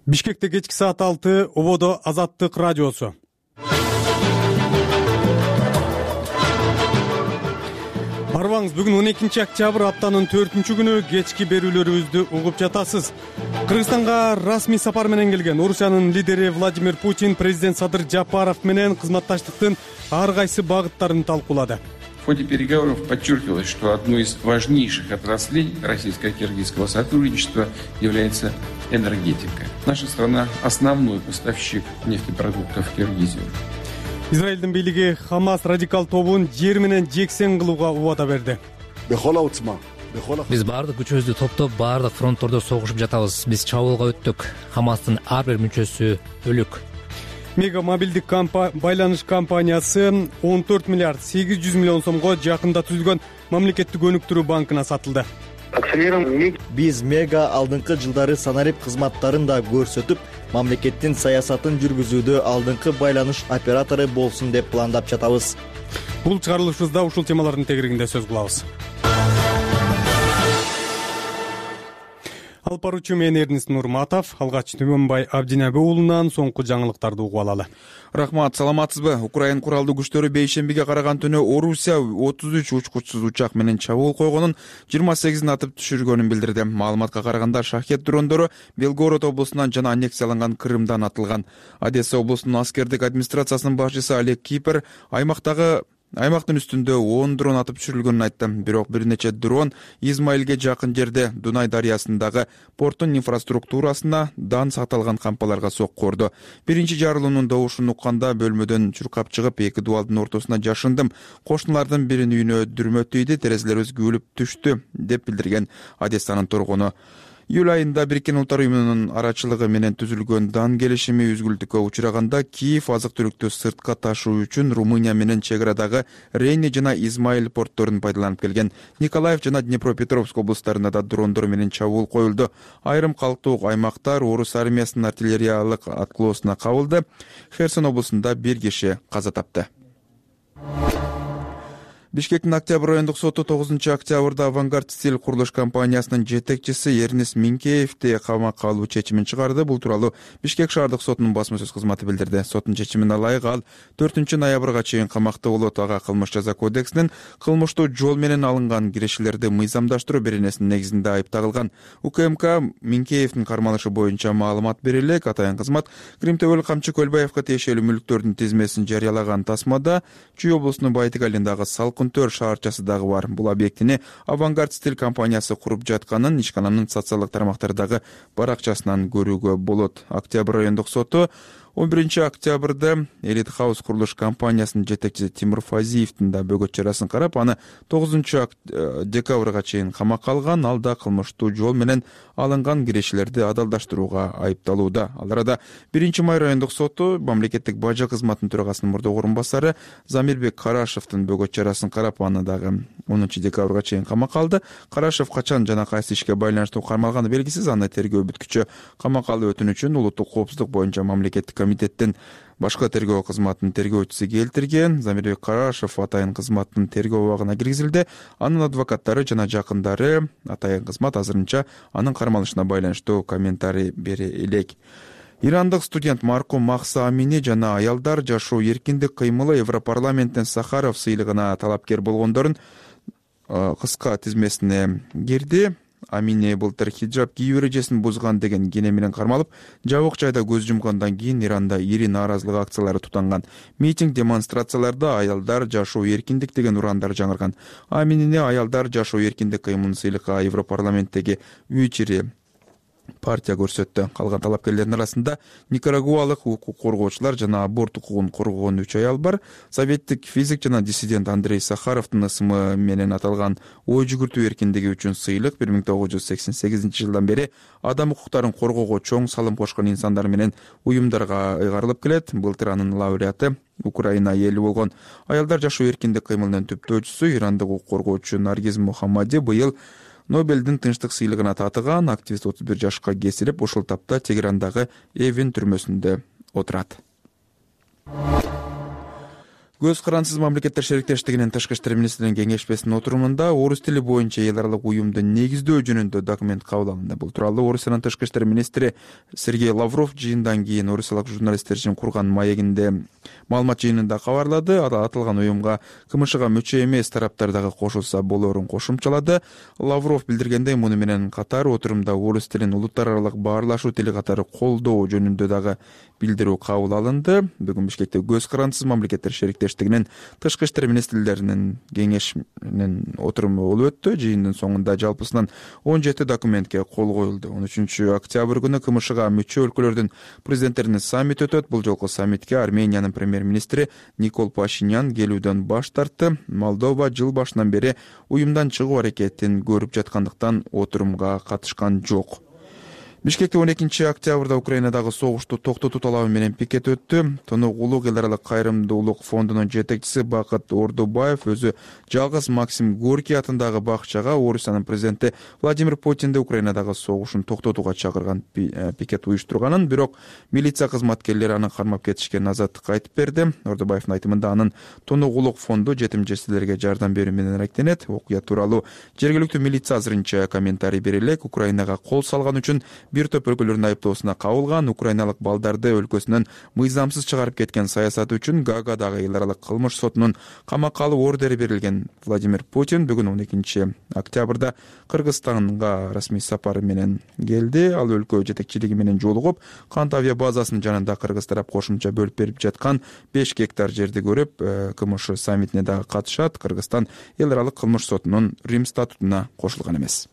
Бишкекте кечки саат 6, ободо Азаттык радиосу. Арбаңыз, бүгүн 12 октябрь, аптанын 4-күнү, кечки берүүлөрүбүздү угуп жатасыз. Кыргызстанга расмий сапар менен келген Орусиянын лидери Владимир Путин президент Садыр Жапаров менен кызматташтыктын ар кайсы багыттарын талкуулады. В ходе переговоров подчеркивалось, что одной из важнейших отраслей российско-киргизского сотрудничества является энергетика. Наша страна – основной поставщик нефтепродуктов в Киргизию. Израилдин бийлиги Хамас радикал тобун жер менен жексен кылууга убада берди. Биз баардык күчүбүздү топтоп, баардык фронттордо согушуп жатабыз. Биз чабуулга өттүк. Хамастын ар бир мүчөсү өлүк. Мега мобилдик байланыш компаниясы 14 миллиард 800 миллион сомго жакында түзүлгөн мамлекеттик өнүктүрүү банкына сатылды. Биз Мега алдыңкы жылдары санарип кызматтарын да көрсөтүп, мамлекеттин саясатын жүргүзүүдө алдыңкы байланыш оператору болсун деп пландап жатабыз. Бул чыгарылышыбызда ушул темалардын тегерегинде сөз кылабыз. Алып баруучу мен Эрнест Нурматов, алгач Түмөнбай Абдинабы уулунан соңку жаңылыктарды угуп алалы. Рахмат, саламатсызбы? Украин куралдуу күчтөрү бейшембиге караган түнү Орусия 33 учкучсуз учак менен чабуул койгонун, 28-ин атып түшүргөнүн билдирди. Маалыматка караганда шахет дрондору Белгород облусунан жана аннексияланган Крымдан атылган. Одесса облусунун аскердик администрациясынын башчысы Олег Кипер аймактын үстүндө 10 дрон атып түшүрүлгөнүн айтты. Бирок бир нече дрон Измаилге жакын жерде Дунай дарыясындагы порттун инфраструктурасына дан сакталган кампаларга сокку урду. Биринчи жарылуунун добушун укканда бөлмөдөн чуркап чыгып, эки дубалдын ортосуна жашындым. Кошуналардын биринин үйүнө дүрмө тийди, терезелерибиз күлүп түштү, деп билдирген Одессанын тургуну. Июль айында Бириккен Улуттар уюмунун арачылыгы менен түзүлгөн дан келишими үзгүлтүккө учураганда Киев азык-түлүктү сыртка ташуу үчүн Румыния менен чек арадагы Рейни жана Измаил портторун пайдаланып келген. Николаев жана Днепропетровск облустарында да дрондор менен чабуул коюлду. Айрым калктуу аймактар орус армиясынын артиллериялык аткылоосуна кабылды. Херсон облусунда бир киши каза тапты. Бишкектин Октябрь райондук соту 9-октябрда Авангард стиль курулуш компаниясынын жетекчиси Эрнест Минкеевди камакка алуу чечимин чыгарды. Бул тууралуу Бишкек шаардык сотунун басма сөз кызматы билдирди. Соттун чечимине ылайык ал 4-ноябрга чейин камакта болот. Ага кылмыш жаза кодексинин кылмыштуу жол менен алынган кирешилерди мыйзамдаштыруу беренесинин негизинде айып тагылган. УКМК Минкеевдин кармалышы боюнча маалымат бере элек. Атайын кызмат Кримтөбөл Камчы Көлбаевка тиешелүү мүлктөрдүн тизмесин жарыялаган тасмада Чүй облусунун Байтыгалиндагы Салкунтөр шаарчасы дагы бар. Бул объектини Авангард стиль компаниясы куруп жатканын ишкананын социалдык тармактардагы баракчасынан көрүүгө болот. Октябрь райондук соту 11-октябрда Элит Хаус курулуш компаниясынын жетекчиси Тимур Фазиевдин да бөгөт чарасын карап, аны 9-декабрга чейин камакка алган. Ал да кылмыштуу жол менен алынган кирешилерди адалдаштырууга айыпталууда. Ал арада 1-май райондук соту мамлекеттик бажа кызматынын төрагасынын мурдагы орун басары Замирбек Карашевдин бөгөт чарасын карап, аны дагы 10-декабрга чейин камакка алды. Карашев качан жана кайсы ишке байланыштуу кармалганы белгисиз. Аны тергөө бүткүчү камакка алуу өтүнүчүн улуттук коопсуздук боюнча мамлекеттик комитеттин башкы тергөө кызматынын тергөөчүсү келтирген. Замирбек Карашев атайын кызматтын тергөө абагына киргизилди. Анын адвокаттары жана жакындары атайын кызмат азырынча анын кармалышына байланыштуу комментарий бере элек. Ирандык студент маркум Махса Амини жана аялдар жашоо эркиндик кыймылы Европарламенттин Сахаров сыйлыгына талапкер болгондордун кыска тизмесине кирди. Амини былтыр хиджаб кийүү эрежесин бузган деген кене менен кармалып, жабык жайда көз жумгандан кийин Иранда ири нааразылык акциялары тутанган. Митинг, демонстрацияларда аялдар жашоо эркиндик деген урандар жаңырган. Аминини аялдар жашоо эркиндик кыймылын сыйлыкка Европарламенттеги 3 партия көрсөттү. Калган талапкерлердин арасында никарагуалык укук коргоочулар жана аборт укугун коргогон 3 аял бар. Советтик физик жана диссидент Андрей Сахаровдун ысымы менен аталган ой жүгүртүү эркиндиги үчүн сыйлык 1988-жылдан бери адам укуктарын коргоого чоң салым кошкон инсандар менен уюмдарга ыйгарылып келет. Былтыр анын лауреаты Украина эли болгон аялдар жашоо эркиндик кыймылынын түптөөчүсү ирандык укук коргоочу Наргиз Мухаммади быйыл Нобелдин тынчтык сыйлыгына татыган. Активист 31 жашка кесилип, ушул тапта Тегерандагы Эвин түрмөсүндө отурат. Көз карансыз мамлекеттер шериктештигинин тышкы иштер министринин кеңешмесинин отурумунда орус тили боюнча эл аралык уюмду негиздөө жөнүндө документ кабыл алынды. Бул тууралуу Орусиянын тышкы иштер министри Сергей Лавров жыйындан кийин орусиялык журналисттер үчүн курган маегинде маалымат жыйынында кабарлады. Аталган уюмга КМШга мүчө эмес тараптар дагы кошулса болоорун кошумчалады. Лавров билдиргендей, муну менен катар отурумда орус тилин улуттар аралык баарлашуу тили катары колдоо жөнүндө дагы билдирүү кабыл алынды. Бүгүн Бишкекте көз карансыз мамлекеттер шериктештигинин тышкы иштер министрлеринин кеңешинин отуруму болуп өттү. Жыйындын соңунда жалпысынан 17 документке кол коюлду. 13 октябрь күнү КМШга мүчө өлкөлөрдүн президенттеринин саммити өтөт. Бул жолку саммитке Армениянын премьер-министри Никол Пашинян келүүдөн баш тартты. Молдова жыл башынан бери уюмдан чыгуу аракетин көрүп жаткандыктан отурумга катышкан жок. Бишкекте 12 октябрда Украинадагы согушту токтотуу талабы менен пикет өттү. Тонук улук эл аралык кайрымдуулук фондунун жетекчиси Бакыт Ордубаев өзү жалгыз Максим Горький атындагы бакчага Орусиянын президенти Владимир Путинди Украинадагы согушун токтотууга чакырган пикет уюштурганын, бирок милиция кызматкерлери аны кармап кетишкен азаттыкка айтып берди. Ордубаевдин айтымында анын Тонук улук фонду жетим жесирлерге жардам берүү менен аракеттенет. Окуя тууралуу жергиликтүү милиция азырынча комментарий бере элек. Украинага кол салган үчүн бир топ өлкөлөрдүн айыптоосуна кабылган. Украиналык балдарды өлкөсүнөн мыйзамсыз чыгарып кеткен саясаты үчүн Гаагадагы эл аралык кылмыш сотунун камакка алуу ордери берилген. Владимир Путин бүгүн 12 октябрда Кыргызстанга расмий сапары менен келди. Ал өлкө жетекчилиги менен жолугуп, Кант авиа базасынын жанында кыргыз тарап кошумча бөлүп берип жаткан 5 гектар жерди көрүп, КМШ саммитине дагы катышат. Кыргызстан эл аралык кылмыш сотунун Рим статутуна кошулган эмес.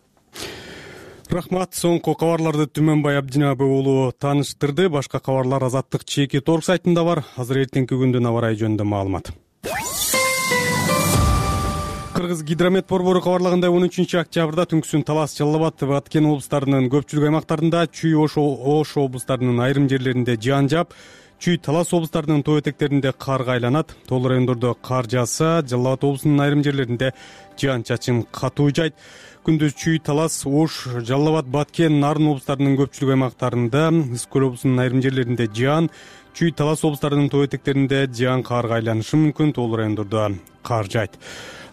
Рахмат. Соңку кабарларды Түмөнбай Абдинабы уулу тааныштырды. Башка кабарлар Азаттык чеки торг сайтында бар. Азыр эртеңки күндүн аба ырайы жөнүндө маалымат. Кыргыз гидромет борбору кабарлагандай 13 октябрда түнкүсүн Талас, Жалал Абад, Баткен облустарынын көпчүлүк аймактарында, Чүй, Ош облустарынын айрым жерлеринде жаан жаап, Чүй, Талас облустарынын тоо этектеринде карга айланат. Тоол райондордо кар жааса, Жалал Абад облусунун айрым жерлеринде жаан чачын катуу жайт. Күндүз Чүй, Талас, Ош, Жалал Абад, Баткен, Нарын облустарынын көпчүлүк аймактарында, Ысык көл облусунун айрым жерлеринде жаан, Чүй, Талас облустарынын тоо этектеринде жаан карга айланышы мүмкүн. Тоол райондордо кар жайт.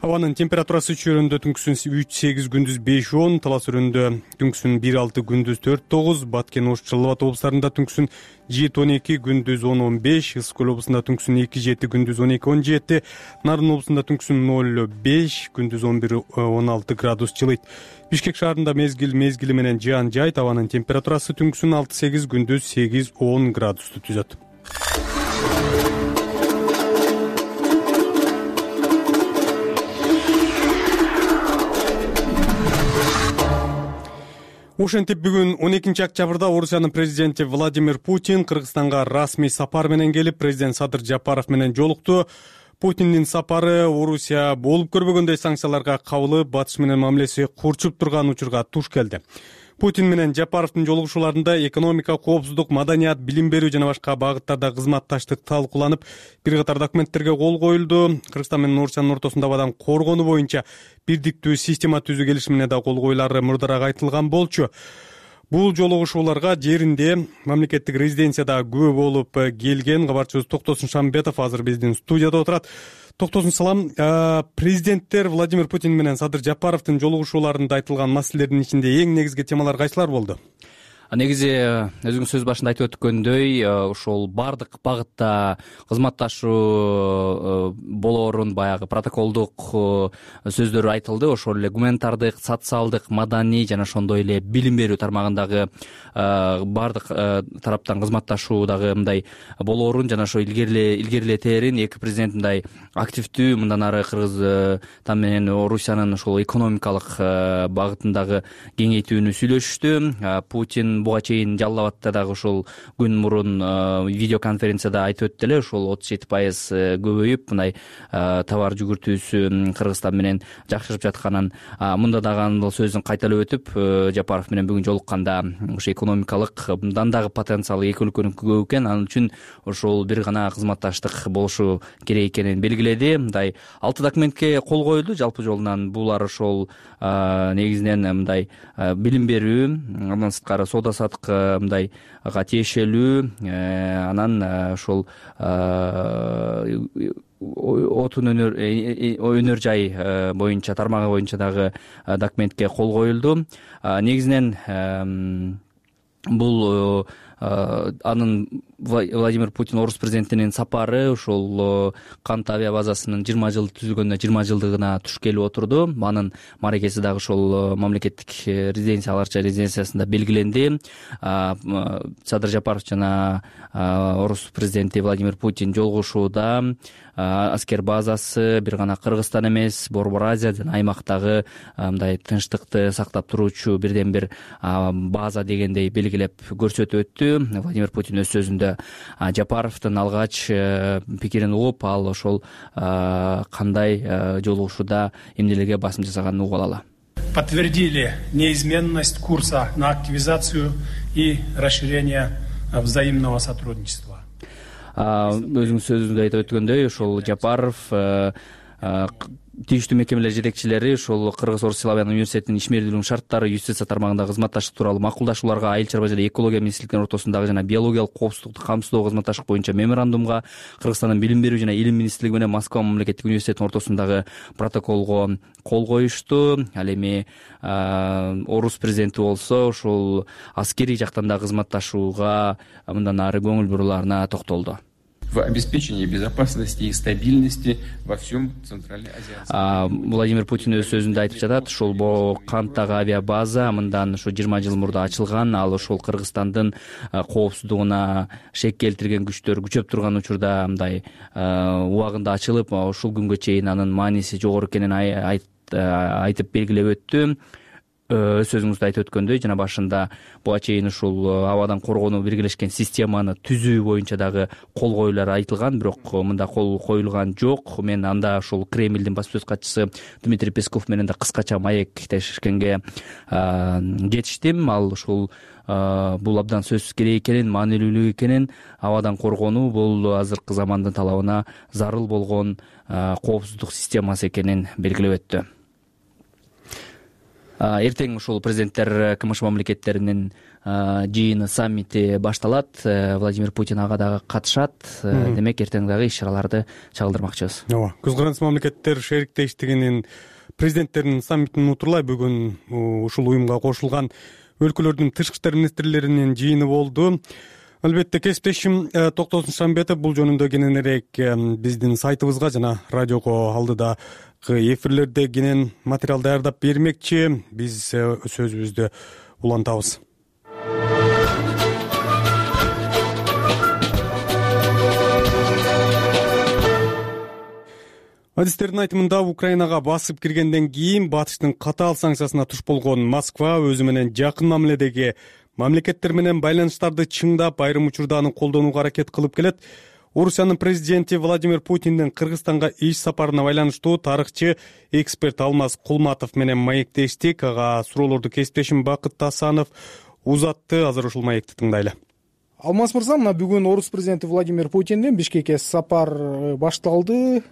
Абанын температурасы Чүй өрөөндө түнкүсүн 3-8, күндүз 5-10, Талас өрөөндө түнкүсүн 1-6, күндүз 4-9, Баткен, Ош, Жалал Абад облустарында түнкүсүн 7-12, күндүз 10-15, Ысык көл облусунда түнкүсүн 2-7, күндүз 12-17, Нарын облусунда түнкүсүн 0-5, күндүз 11-16 градус жылыйт. Бишкек шаарында мезгили менен жаан жайт. Абанын температурасы түнкүсүн 6-8, күндүз 8-10 градусту түзөт. Ошентип бүгүн 12 октябрда Орусиянын президенти Владимир Путин Кыргызстанга расмий сапар менен келип, президент Садыр Жапаров менен жолукту. Путиндин сапары Орусия болуп көрбөгөндөй санкцияларга кабылып, батыш менен мамилеси курчуп турган учурга туш келди. Путин менен Жапаровдун жолугушууларында экономика, коопсуздук, маданият, билим берүү жана башка багыттарда кызматташтык талкууланып, бир катар документтерге кол коюлду. Кыргызстан менен Орусиянын ортосунда абадан коргонуу боюнча бирдиктүү система түзүү келишимине да кол коюлары мурдараак айтылган болчу. Бул жолугушууларга жеринде мамлекеттик резиденцияда күбө болуп келген кабарчыбыз Токтосун Шамбетов азыр биздин студияда отурат. Токтосун, салам. Президенттер Владимир Путин менен Садыр Жапаровдун жолугушууларында айтылган маселелердин ичинде эң негизги темалар кайсылар болду? Негизи өзүңүз сөз башында айтып өткөндөй, ошол бардык багытта кызматташуу болоорун баягы протоколдук сөздөр айтылды. Ошол эле гуманитардык, социалдык, маданий жана ошондой эле билим берүү тармагындагы бардык тараптан кызматташуу дагы мындай болоорун жана ошо илгерилетерин эки президент мындай активдүү мындан ары Кыргызстан менен Орусиянын ошол экономикалык багытындагы кеңейтүүнү сүйлөшүштү. Путин буга чейин Жалал Абадта дагы ушул күн мурун видеоконференцияда айтып өттү эле, ошол 37% көбөйүп, мындай товар жүгүртүүсү Кыргызстан менен жакшырып жатканын, мында дагы анын сөзүн кайталап өтүп, Жапаров менен бүгүн жолукканда ошо экономикалык мындан дагы потенциалы эки өлкөнүкү көп экен, анын үчүн ошол бир гана кызматташтык болушу керек экенин белгиледи. Мындай 6 документке кол коюлду жалпы жолунан. Булар ошол негизинен мындай билим берүү, андан сырткары соода саудо-саттык мындайга тиешелүү анан ошол отун өнөр жай боюнча тармагы боюнча дагы документке кол коюлду. Негизинен бул анын Владимир Путин орус президентинин сапары ушул Кант авиа базасынын 20 жыл түзүлгөнүнө 20 жылдыгына туш келип отурду. Анын мааракеси дагы ошол мамлекеттик резиденциясында белгиленди. Садыр Жапаров жана орус президенти Владимир Путин жолугушууда аскер базасы бир гана Кыргызстан эмес, Борбор Азия жана аймактагы мындай тынчтыкты сактап туруучу бирден бир база дегендей белгилеп көрсөтүп өттү. Владимир Путин өз сөзүндө Жапаровдун алгач пикирин угуп, ал ошол кандай жолугушууда эмнелерге басым жасаганын угуп алалы. Подтвердили неизменность курса на активизацию и расширение взаимного сотрудничества. Өзүңүз сөзүңүздө айтып өткөндөй, ошол Жапаров тийиштүү мекемелер жетекчилери ошол Кыргыз-Орус Славян университетинин ишмердүүлүгүнүн шарттары юстиция тармагындагы кызматташтык тууралуу макулдашууларга айыл чарба жана экология министрликтеринин ортосундагы жана биологиялык коопсуздукту камсыздоо кызматташтык боюнча меморандумга, Кыргызстандын билим берүү жана илим министрлиги менен Москва мамлекеттик университетинин ортосундагы протоколго кол коюшту. Ал эми орус президенти болсо ушул аскерий жактан да кызматташууга мындан ары көңүл буруларына токтолду. В обеспечении безопасности и стабильности во всем Центральноазиатском. Владимир Путин өз сөзүндө айтып жатат, ушул Канттагы авиабаза мындан ушу 20 жыл мурда ачылган. Ал ошол Кыргызстандын коопсуздугуна шек келтирген күчтөр күчөп турган учурда мындай убагында ачылып, ушул күнгө чейин анын мааниси жогору экенин айтып белгилеп өттү. Сөзүңүздө айтып өткөндөй, жана башында буга чейин ушул абадан коргонуу биргелешкен системаны түзүү боюнча дагы кол коюулар айтылган, бирок мында кол коюлган жок. Мен анда ушул Кремлдин басма сөз катчысы Дмитрий Песков менен да кыскача маектешкенге жетиштим. Ал ушул бул абдан сөзсүз керек экенин, маанилүүлүү экенин, абадан коргонуу бул азыркы замандын талабына зарыл болгон коопсуздук системасы экенин белгилеп өттү. Эртең ушул президенттер КМШ мамлекеттеринин жыйыны, саммити башталат. Владимир Путин ага дагы катышат. Демек эртең дагы иш-чараларды чагылдырмакчыбыз. Ооба, көз карандысыз мамлекеттер шериктештигинин президенттеринин саммитин утурлай бүгүн ушул уюмга кошулган өлкөлөрдүн тышкы иштер министрлеринин жыйыны болду. Албетте кесиптешим Токтосун Шамбетов бул жөнүндө кененирээк биздин сайтыбызга жана радиого алдыдагы эфирлерде кенен материал даярдап бермекчи. Биз сөзүбүздү улантабыз. Адистердин айтымында Украинага басып киргенден кийин батыштын катаал санкциясына туш болгон Москва өзү менен жакын мамиледеги мамлекеттер менен байланыштарды чыңдап, айрым учурда аны колдонууга аракет кылып келет. Орусиянын президенти Владимир Путиндин Кыргызстанга иш сапарына байланыштуу тарыхчы эксперт Алмаз Кулматов менен маектештик. Ага суроолорду кесиптешим Бакыт Тасанов узатты. Азыр ушул маекти тыңдайлы. Алмаз мырза, мына бүгүн орус президенти Владимир Путиндин Бишкекке сапар башталды.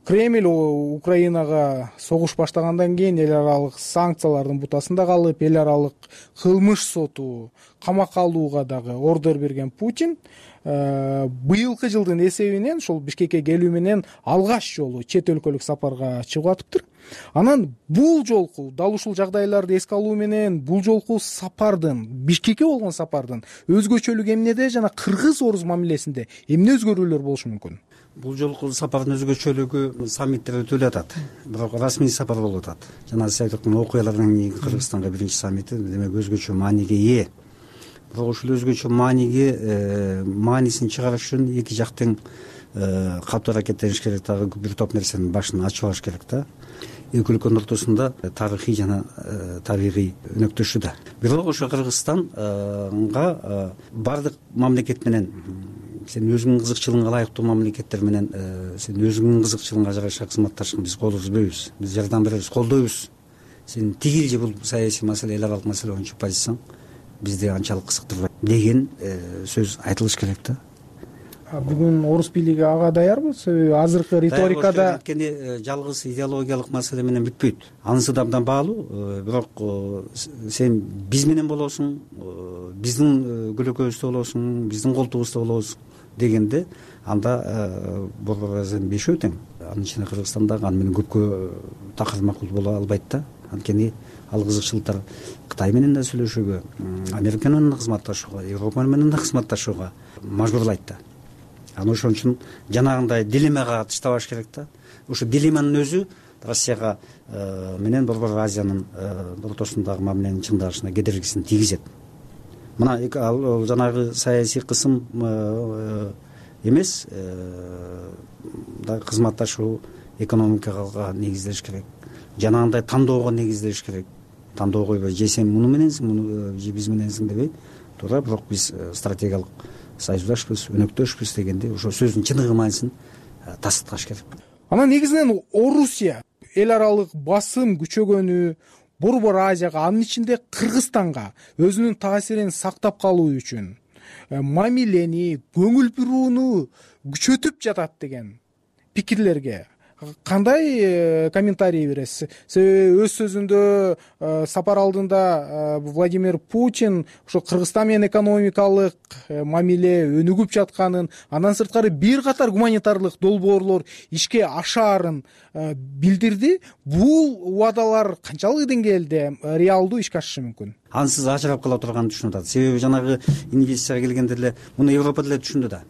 Кремль Украинага согуш баштагандан кийин эл аралык санкциялардын бутасында калып, эл аралык кылмыш соту камакка алууга дагы ордер берген Путин быйылкы жылдын эсебинен ушул Бишкекке келүү менен алгач жолу чет өлкөлүк сапарга чыгып атыптыр. Анан бул жолку дал ушул жагдайларды эске алуу менен бул жолку сапардын, Бишкекке болгон сапардын өзгөчөлүгү эмнеде жана кыргыз-орус мамилесинде эмне өзгөрүүлөр болушу мүмкүн? Бул жолку сапардын өзгөчөлүгү саммиттер өтүп атат, бирок расмий сапар болуп атат. Жана сиз айтып аткан окуялардан кийин Кыргызстанга биринчи саммити демек өзгөчө мааниге ээ. Бирок ушул өзгөчө маанисин чыгарыш үчүн эки жактын катуу аракеттениш керек, дагы бир топ нерсенин башын ачып алыш керек да. Эки өлкөнүн ортосунда тарыхый жана табигый өнөктөшүү да. Бирок ошо Кыргызстанга бардык мамлекет менен сен өзүңүн кызыкчылыгыңа ылайыктуу мамлекеттер менен сен өзүңүн кызыкчылыгыңа жараша кызматташкын биз кол үзбөйбүз, биз жардам беребиз, колдойбуз. Сен тигил же бул саясий маселе, эл аралык маселе боюнча позицияң бизди анчалык кызыктырбайт деген сөз айтылыш керек да. Бүгүн орус бийлиги ага даярбы? Себеби азыркы риторикада анткени жалгыз идеологиялык маселе менен бүтпөйт. Анысы да абдан баалуу. Бирок сен биз менен болосуң, биздин көлөкөбүздө болосуң, биздин колтугубузда болосуң дегенде анда борбор сен бешөө тең. Анын ичинде Кыргызстан дагы аны менен көпкө такыр макул боло албайт да. Анткени ал кызыкчылыктар Кытай менен да сүйлөшүүгө, Америка менен да кызматташууга, Европа менен да кызматташууга мажбурлайт да. Аны ошон үчүн жанагындай дилеммага тыштабаш керек да. Ошо дилемманын өзү Россияга менен Борбор Азиянын ортосундагы мамиленин чыңдалышына кедергисин тийгизет. Мына ал жанагы саясий кысым эмес, кызматташуу экономикага негизделиш керек. Жанагындай тандоого негизделиш керек. Тандоо койбой же сен муну мененсиң, муну же биз мененсиң дебей, туура, бирок биз стратегиялык союздашпыз, өнөктөшпүз дегенде ошо сөздүн чыныгы мааниsin тастыкташ керек. Анан негизинен Орусия эл аралык басым күчөгөнү Борбор Азияга, анын ичинде Кыргызстанга өзүнүн таасирин сактап калуу үчүн мамилени, көңүл бурууну күчөтүп жатат деген пикирлерге кандай комментарий бересиз? Себеби өз сөзүндө сапар алдында Владимир Путин ошо Кыргызстан менен экономикалык мамиле өнүгүп жатканын, андан сырткары бир катар гуманитардык долбоорлор ишке ашаарын билдирди. Бул убадалар канчалык деңгээлде реалдуу ишке ашышы мүмкүн? Ансыз ажырап кала турганын түшүнүп атат. Себеби жанагы инвестицияга келгенде эле муну Европа деле түшүндү да.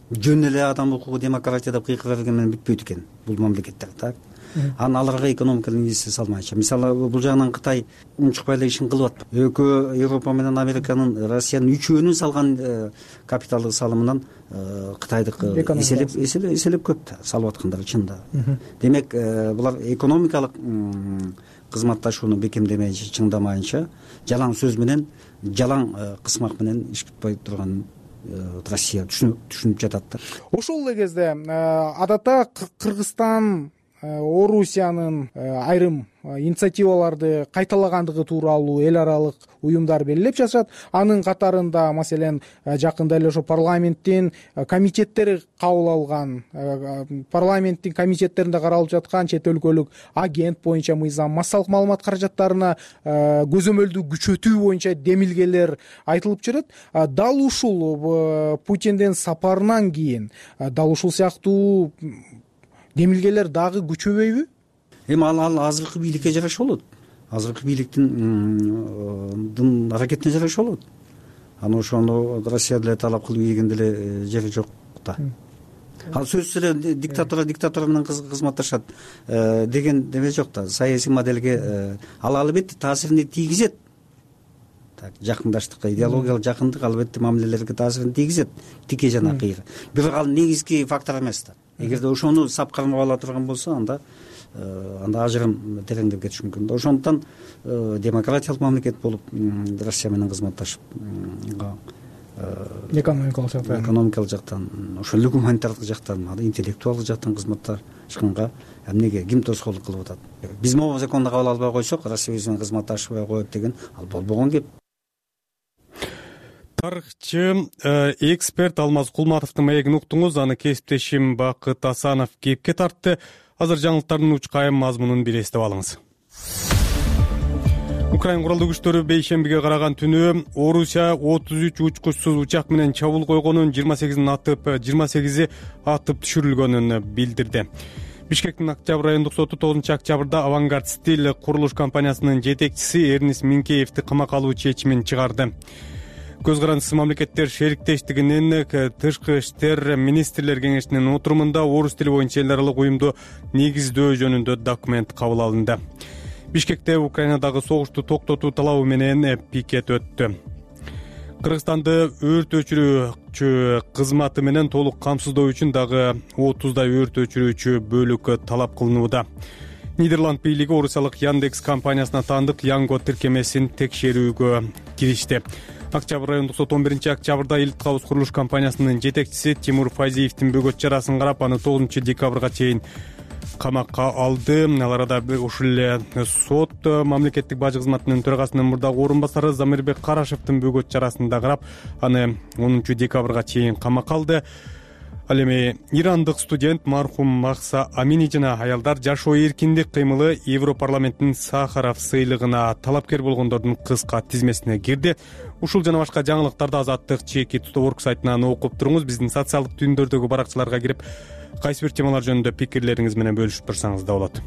Жөн эле адам укугу, демократия деп кыйкыра берген менен бүтпөйт экен бул мамлекеттер, так. Аларга экономикалык инвестиция салмайчы. Мисалы бул жагынан Кытай унчукпай эле ишин кылып атпайбы? Экөө Европа менен Американын, Россиянын үчөөнүн салган капиталдык салымынан Кытайдык эселеп көп да салып аткандар чында. Демек, булар экономикалык кызматташууну бекемдемейинче, чыңдамайынча, жалаң сөз менен, жалаң кысмак менен иш бүтпөй турган Россия түшүнүп жатат да. Ошол эле кезде адатта Кыргызстан Орусиянын айрым инициативаларды кайталагандыгы тууралуу эл аралык уюмдар белгилеп жатышат. Анын катарында маселен жакында эле ошо парламенттин комитеттери кабыл алган, парламенттин комитеттеринде каралып жаткан чет өлкөлүк агент боюнча мыйзам, массалык маалымат каражаттарына көзөмөлдү күчөтүү боюнча демилгелер айтылып жүрөт. Дал ушул Путиндин сапарынан кийин дал ушул сыяктуу демилгелер дагы күчөбөйбү? Эми ал азыркы бийликке жараша болот. Азыркы бийликтин аракетине жараша болот. Аны ошону Россия деле талап кылып ийген деле жери жок да. Ал сөзсүз эле диктатора менен кызматташат деген деме жок да. Саясий моделге ал албетте таасирин тийгизет. Так, жакындаштыкка, идеологиялык жакындык албетте мамилелерге таасирин тийгизет, тике жана кыйра. Бирок ал негизги фактор эмес да. Эгерде ошону сап кармап ала турган болсо, анда ажырым тереңдеп кетиши мүмкүн. Ошондуктан демократиялык мамлекет болуп Россия менен кызматташып экономикалык жактан, ошол эле гуманитардык жактан, интеллектуалдык жактан кызматташканга эмнеге ким тоскоолдук кылып атат? Биз могу законду кабыл албай койсок, Россия биз менен кызматташпай коет деген ал болбогон кеп. Тарыхчы, эксперт Алмаз Кулматовдун маегин уктуңуз. Аны кесиптешим Бакыт Асанов кепке тартты. Азыр жаңылыктардын учкайым мазмунун бир эстеп алыңыз. Украин куралдуу күчтөрү бейшембиге караган түнү Орусия 33 учкучсуз учак менен чабуул койгонун, 28 атып түшүрүлгөнүн билдирди. Бишкектин Октябрь райондук соту 9 октябрда Авангард Стиль курулуш компаниясынын жетекчиси Эрнис Минкеевди камакка алуу чечимин чыгарды. Көз карандысыз мамлекеттер шериктештигинин тышкы иштер министрлер кеңешинин отурумунда орус тили боюнча эл аралык уюмду негиздөө жөнүндө документ кабыл алынды. Бишкекте Украинадагы согушту токтотуу талабы менен пикет өттү. Кыргызстанды өрт өчүрүүчү кызматы менен толук камсыздоо үчүн дагы 30 өрт өчүрүүчү бөлүк талап кылынууда. Нидерланд бийлиги орусиялык Яндекс компаниясына таандык Янго тиркемесин текшерүүгө киришти. Октябрь райондук сот 11 октябрда Элит Кабыз курулуш компаниясынын жетекчиси Тимур Фазиевдин бөгөт чарасын карап, аны 9 декабрга чейин камакка алды. Ал арада ушул эле сот мамлекеттик бажы кызматынын төрагасынын мурдагы орун басары Замирбек Карашевдин бөгөт чарасын да карап, аны 10 декабрга чейин камакка алды. Ал эми ирандык студент мархум Махса Амини жана аялдар жашоо эркиндик кыймылы Европарламенттин Сахаров сыйлыгына талапкер болгондордун кыска тизмесине кирди. Ушул жана башка жаңылыктарды Азаттык чеки Орг сайтынан окуп туруңуз. Биздин социалдык түйүндөрдөгү баракчаларга кирип, кайсы бир темалар жөнүндө пикирлериңиз менен бөлүшүп турсаңыз да болот.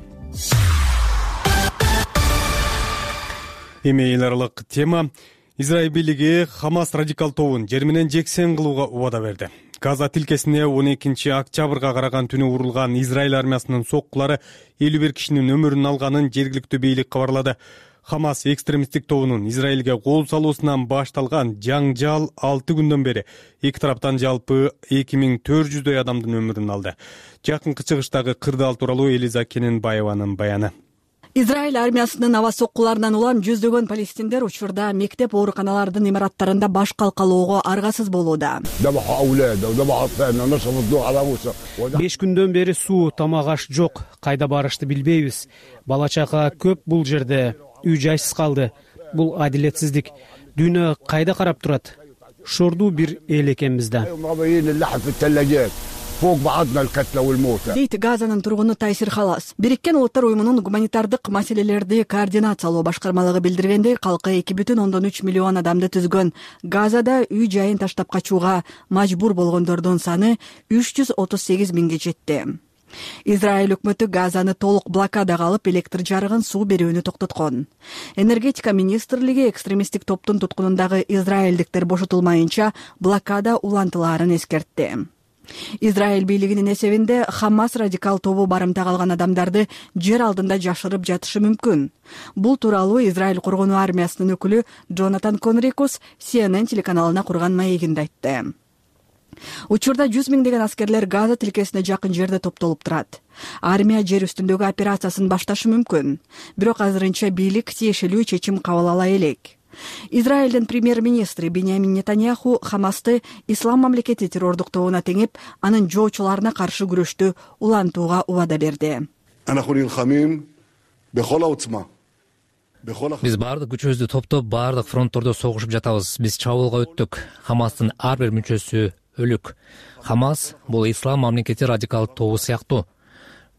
Эми эл аралык тема. Израиль бийлиги Хамас радикал тобун жер менен жексен кылууга убада берди. Газа тилкесине 12 октябрга караган түнү урулган Израиль армиясынын соккулары 51 кишинин өмүрүн алганын жергиликтүү бийлик кабарлады. Хамас экстремисттик тобунун Израилге кол салуусунан башталган жаңжал 6 күндөн бери эки тараптан жалпы 2400дөй адамдын өмүрүн алды. Жакынкы чыгыштагы кырдаал тууралуу Элиза Кененбаеванын баяны. Израиль армиясынын аба соккуларынан улам жүздөгөн палестиндер учурда мектеп ооруканалардын имараттарында баш калкалоого аргасыз болууда. 5 күндөн бери суу, тамак аш жок. Кайда барышты билбейбиз. Бала чака көп бул жерде. Үй жайсыз калды. Бул адилетсиздик. Дүйнө кайда карап турат? Шордуу бир эл экенбиз да. Дейт Газанын тургуну Тайсир Халас. Бириккен Улуттар уюмунун гуманитардык маселелерди координациялоо башкармалыгы билдиргендей, калкы 2,3 миллион адамды түзгөн Газада үй жайын таштап качууга мажбур болгондордун саны 338 миңге жетти. Израиль өкмөтү Газаны толук блокадага алып, электр жарыгын, суу берүүнү токтоткон. Энергетика министрлиги экстремисттик топтун туткунундагы израилдиктер бошотулмайынча блокада улантылаарын эскертти. Израиль бийлигинин эсебинде Хамас радикал тобу барымтага алган адамдарды жер алдында жашырып жатышы мүмкүн. Бул тууралуу Израиль коргонуу армиясынын өкүлү Джонатан Конрикус CNN телеканалына курган маегинде айтты. Учурда 100 миңдеген аскерлер Газа тилкесине жакын жерде топтолуп турат. Армия жер үстүндөгү операциясын башташы мүмкүн. Бирок азырынча бийлик тиешелүү чечим кабыл ала элек. Израилдин премьер-министри Биньямин Нетаньяху Хамасты ислам мамлекети террордук тобуна теңип, анын жоочуларына каршы күрөштү улантууга убада берди. Биз баардык күчүбүздү топтоп, баардык фронттордо согушуп жатабыз. Биз чабуулга өттүк. Хамастын ар бир мүчөсү өлүк. Хамас бул ислам мамлекети радикал тобу сыяктуу.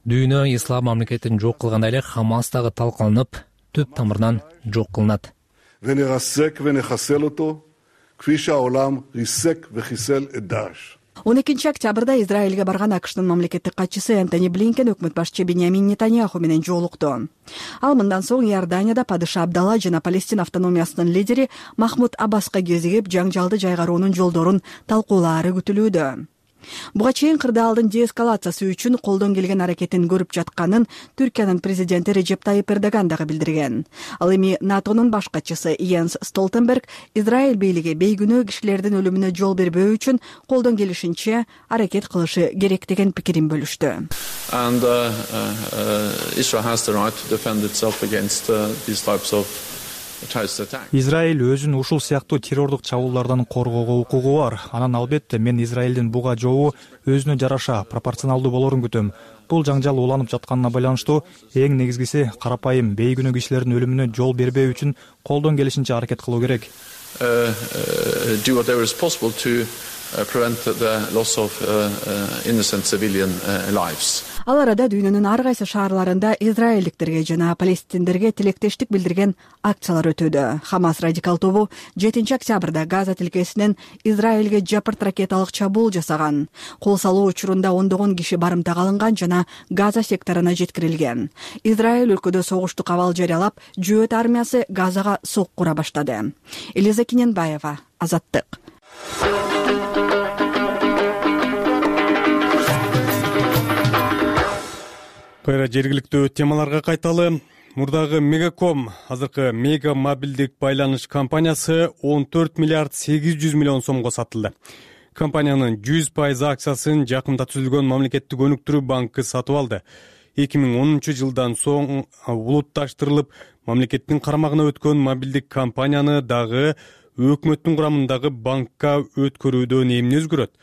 Дүйнө ислам мамлекетин жок кылгандай эле Хамас дагы талкаланып, түп тамырынан жок кылынат. 12 октябрда Израилге барган АКШнын мамлекеттик катчысы Энтони Блинкен өкмөт башчы Биньямин Нетаньяху менен жолукту. Ал мындан соң Иорданияда падыша Абдалла жана Палестина автономиясынын лидери Махмуд Аббаска кезигип, жаңжалды жайгаруунун жолдорун талкуулаары күтүлүүдө. Буга чейин кырдаалдын деэскалациясы үчүн колдон келген аракетин көрүп жатканын Түркиянын президенти Режеп Тайип Эрдоган дагы билдирген. Ал эми НАТОнун баш катчысы Йенс Столтенберг Израиль бийлиги бейгүнөө кишилердин өлүмүнө жол бербөө үчүн колдон келишинче аракет кылышы керек деген пикирин бөлүштү. Израиль өзүн ушул сыяктуу террордук чабуулдардан коргоого укугу бар. Анан албетте мен Израилдин буга жообу өзүнө жараша, пропорционалдуу болорун күтөм. Бул жаңжал уланып жатканына байланыштуу эң негизгиси карапайым бейгүнөө кишилердин өлүмүнө жол бербөө үчүн колдон келишинче аракет кылуу керек. Ал арада дүйнөнүн ар кайсы шаарларында израилдиктерге жана палестиндерге тилектештик билдирген акциялар өтүүдө. Хамас радикал тобу 7 октябрда Газа тилкесинен Израилге жапырт ракеталык чабуул жасаган. Кол салуу учурунда ондогон киши барымтага алынган жана Газа секторуна жеткирилген. Израиль өлкөдө согуштук абал жарыялап, жөөт армиясы Газага сок кура баштады. Элиза Кененбаева, Азаттык. Кайра жергиликтүү темаларга кайталы. Мурдагы Мегаком, азыркы Мега мобилдик байланыш компаниясы 14 миллиард 800 миллион сомго сатылды. Компаниянын 100% акциясын жакында түзүлгөн мамлекеттик өнүктүрүү банкы сатып алды. 2010 жылдан соң улутташтырылып, мамлекеттин карамагына өткөн мобилдик компанияны дагы өкмөттүн курамындагы банкка өткөрүүдөн эмне өзгөрөт?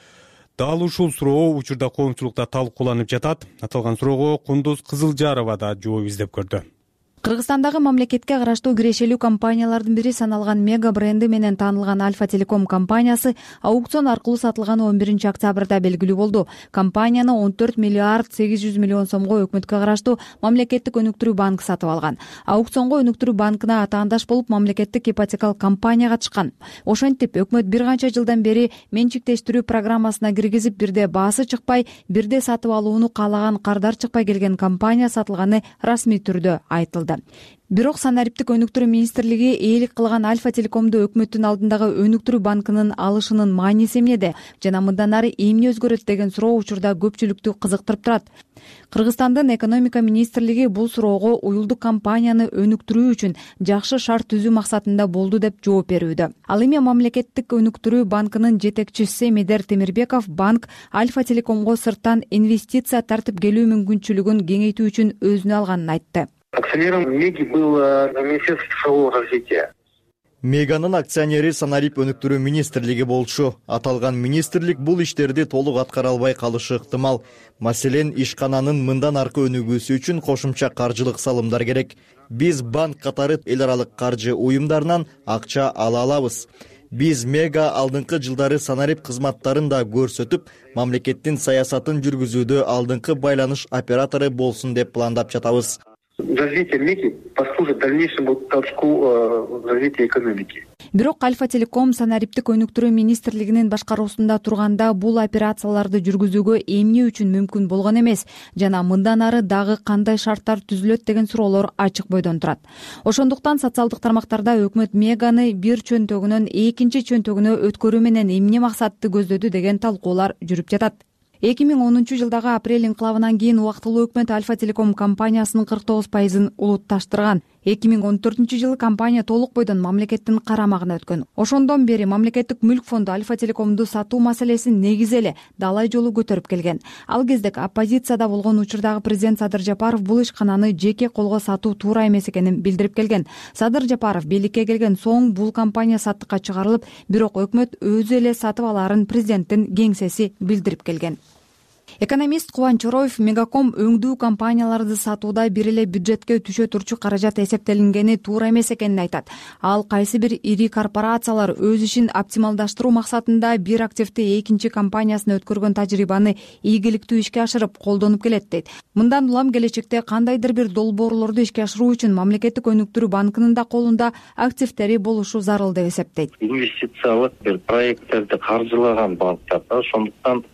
Дал ушул суроо учурда коомчулукта талкууланып жатат. Аталган суроого Кундуз Кызылжарова да жооп издеп көрдү. Кыргызстандагы мамлекетке караштуу кирешелүү компаниялардын бири саналган Мега бренди менен таанылган Альфа Телеком компаниясы аукцион аркылуу сатылганы 11 октябрда белгилүү болду. Компанияны 14 миллиард 800 миллион сомго өкмөткө караштуу мамлекеттик өнүктүрүү банкы сатып алган. Аукционго өнүктүрүү банкына атаандаш болуп мамлекеттик ипотекалык компания катышкан. Ошентип өкмөт бир канча жылдан бери менчиктештирүү программасына киргизип, бирде баасы чыкпай, бирде сатып алууну каалаган кардар чыкпай келген компания сатылганы расмий түрдө айтылды. Бирок санариптик өнүктүрүү министрлиги ээлик кылган Альфа Телекомду өкмөттүн алдындагы өнүктүрүү банкынын алышынын мааниси эмнеде жана мындан ары эмне өзгөрөт деген суроо учурда көпчүлүктү кызыктырып турат. Кыргызстандын экономика министрлиги бул суроого уюлдук компанияны өнүктүрүү үчүн жакшы шарт түзүү максатында болду деп жооп берүүдө. Ал эми мамлекеттик өнүктүрүү банкынын жетекчиси Медер Темирбеков банк Альфа Телекомго сырттан инвестиция тартып келүү мүмкүнчүлүгүн кеңейтүү үчүн өзүнө алганын айтты. Акционером Меги было Министерство цифрового развития. Меганын акционери санарип өнүктүрүү министрлиги болчу. Аталган министрлик бул иштерди толук аткара албай калышы ыктымал. Маселен, ишкананын мындан аркы өнүгүүсү үчүн кошумча каржылык салымдар керек. Биз банк катары эл аралык каржы уюмдарынан акча ала алабыз. Биз Мега алдыңкы жылдары санарип кызматтарын да көрсөтүп, мамлекеттин саясатын жүргүзүүдө алдыңкы байланыш оператору болсун деп пландап жатабыз. Развитие Меги послужит дальнейшему толчку развития экономики. Бирок Альфа Телеком санариптик өнүктүрүү министрлигинин башкаруусунда турганда бул операцияларды жүргүзүүгө эмне үчүн мүмкүн болгон эмес жана мындан ары дагы кандай шарттар түзүлөт деген суроолор ачык бойдон турат. Ошондуктан социалдык тармактарда өкмөт Меганы бир чөнтөгүнөн экинчи чөнтөгүнө өткөрүү менен эмне максатты көздөдү деген талкуулар жүрүп жатат. 2010 жылдагы апрель инкылабынан кийин убактылуу өкмөт Альфа Телеком компаниясынын 49% улутташтырган. 2014 жылы компания толук бойдон мамлекеттин карамагына өткөн. Ошондон бери мамлекеттик мүлк фонду Альфа Телекомду сатуу маселесин негизи эле далай жолу көтөрүп келген. Ал кезде оппозицияда болгон учурдагы президент Садыр Жапаров бул ишкананы жеке колго сатуу туура эмес экенин билдирип келген. Садыр Жапаров бийликке келген соң бул компания саттыкка чыгарылып, бирок өкмөт өзү эле сатып алаарын президенттин кеңсеси билдирип келген. Экономист Кубанч Чороев Мегаком өңдүү компанияларды сатууда бир эле бюджетке түшө турчу каражат эсептелингени туура эмес экенин айтат. Ал кайсы бир ири корпорациялар өз ишин оптималдаштыруу максатында бир активди экинчи компаниясына өткөргөн тажрыйбаны ийгиликтүү ишке ашырып колдонуп келет дейт. Мындан улам келечекте кандайдыр бир долбоорлорду ишке ашыруу үчүн мамлекеттик өнүктүрүү банкынын да колунда активдери болушу зарыл деп эсептейт. Инвестициялык бир проекттерди каржылаган банктар да, ошондуктан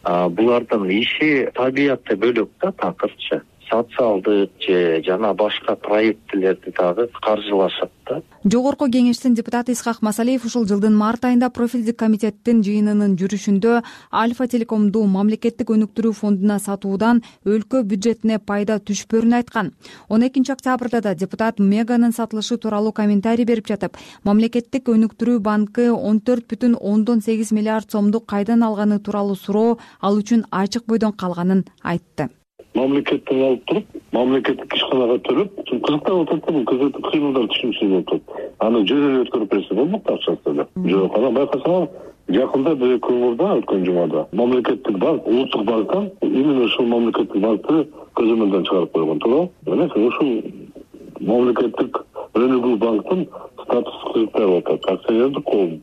булардын иши табиятты бөлөк да, такырчы. Социалдык же жана башка проекттерди дагы каржылашат да. Жогорку кеңештин депутаты Исхак Масалиев ушул жылдын март айында профилдик комитеттин жыйынынын жүрүшүндө Альфа Телекомду мамлекеттик өнүктүрүү фондуна сатуудан өлкө бюджетине пайда түшпөрүн айткан. 12 октябрда да депутат Меганын сатылышы тууралуу комментарий берип жатып, мамлекеттик өнүктүрүү банкы 14,8 миллиард сомду кайдан алганы тууралуу суроо ал үчүн ачык бойдон калганын айтты. Мамлекеттен алып туруп, мамлекеттик ишканага төлөп, кызыктап атат да, бул кызыктуу кыймылдар түшүнүшүн атат. Аны жөн эле өткөрүп берсе болмок акчасы эле. Жок, анан байкасаңар, жакында бир көңүлдө өткөн жумада мамлекеттик банк, улуттук банктан именно ушул мамлекеттик банкты көзөмөлдөн чыгарып койгон, туура? Мына ушул мамлекеттик өнүгүү банктын статусу кызыктап атат. Акционердик коом.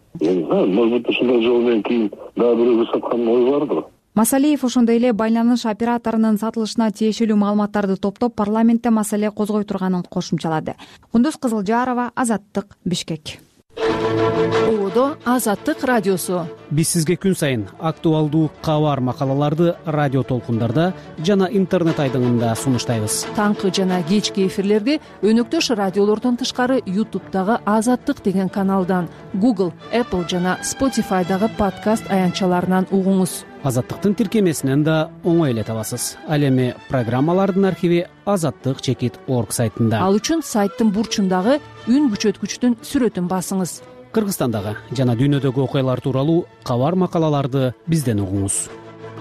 Может быть, ушундай жол менен кийин дагы бирөөгө саткан ой бардыр. Масалиев ошондой эле байланыш операторунун сатылышына тиешелүү маалыматтарды топтоп парламентте маселе козгой турганын кошумчалады. Кундуз Кызылжарова, Азаттык, Бишкек. Одо Азаттык радиосу. Биз сизге күн сайын актуалдуу кабар макалаларды радио толкундарда жана интернет айдыңында сунуштайбыз. Таңкы жана кечки эфирлерди өнөктөш радиолордон тышкары YouTube'дагы Азаттык деген каналдан, Google, Apple жана Spotify'дагы подкаст аянтчаларынан угуңуз. Азаттыктын тиркемесинен да оңой эле табасыз. Ал эми программалардын архиви azattik.org сайтында. Ал үчүн сайттын бурчундагы үн күчөткүчтүн сүрөтүн басыңыз. Кыргызстандагы жана дүйнөдөгү окуялар тууралуу кабар макалаларды бизден угуңуз.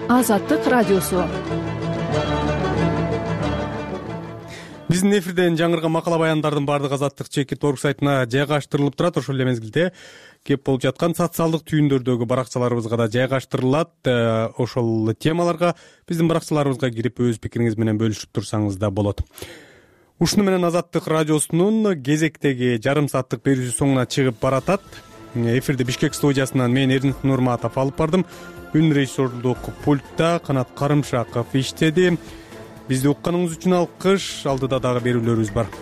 Азаттык радиосу. Биздин эфирден жаңырган макала баяндардын баардыгы azattik.org сайтына жайгаштырылып турат. Ошол эле мезгилде кеп болуп жаткан социалдык түйүндөрдөгү баракчаларыбызга да жайгаштырылат. Ошол темаларга биздин баракчаларыбызга кирип өз пикириңиз менен бөлүшүп турсаңыз да болот. ушуну менен Азаттык радиосунун кезектеги жарым сааттык берүүсү соңуна чыгып баратат. Эфирди Бишкек студиясынан мен Эрдинет Нурматов алып бардым. Үн режиссерлук пультта Канат Карымшаков иштеди. Бизди укканыңыз үчүн алкыш. Алдыда дагы берүүлөрүбүз бар.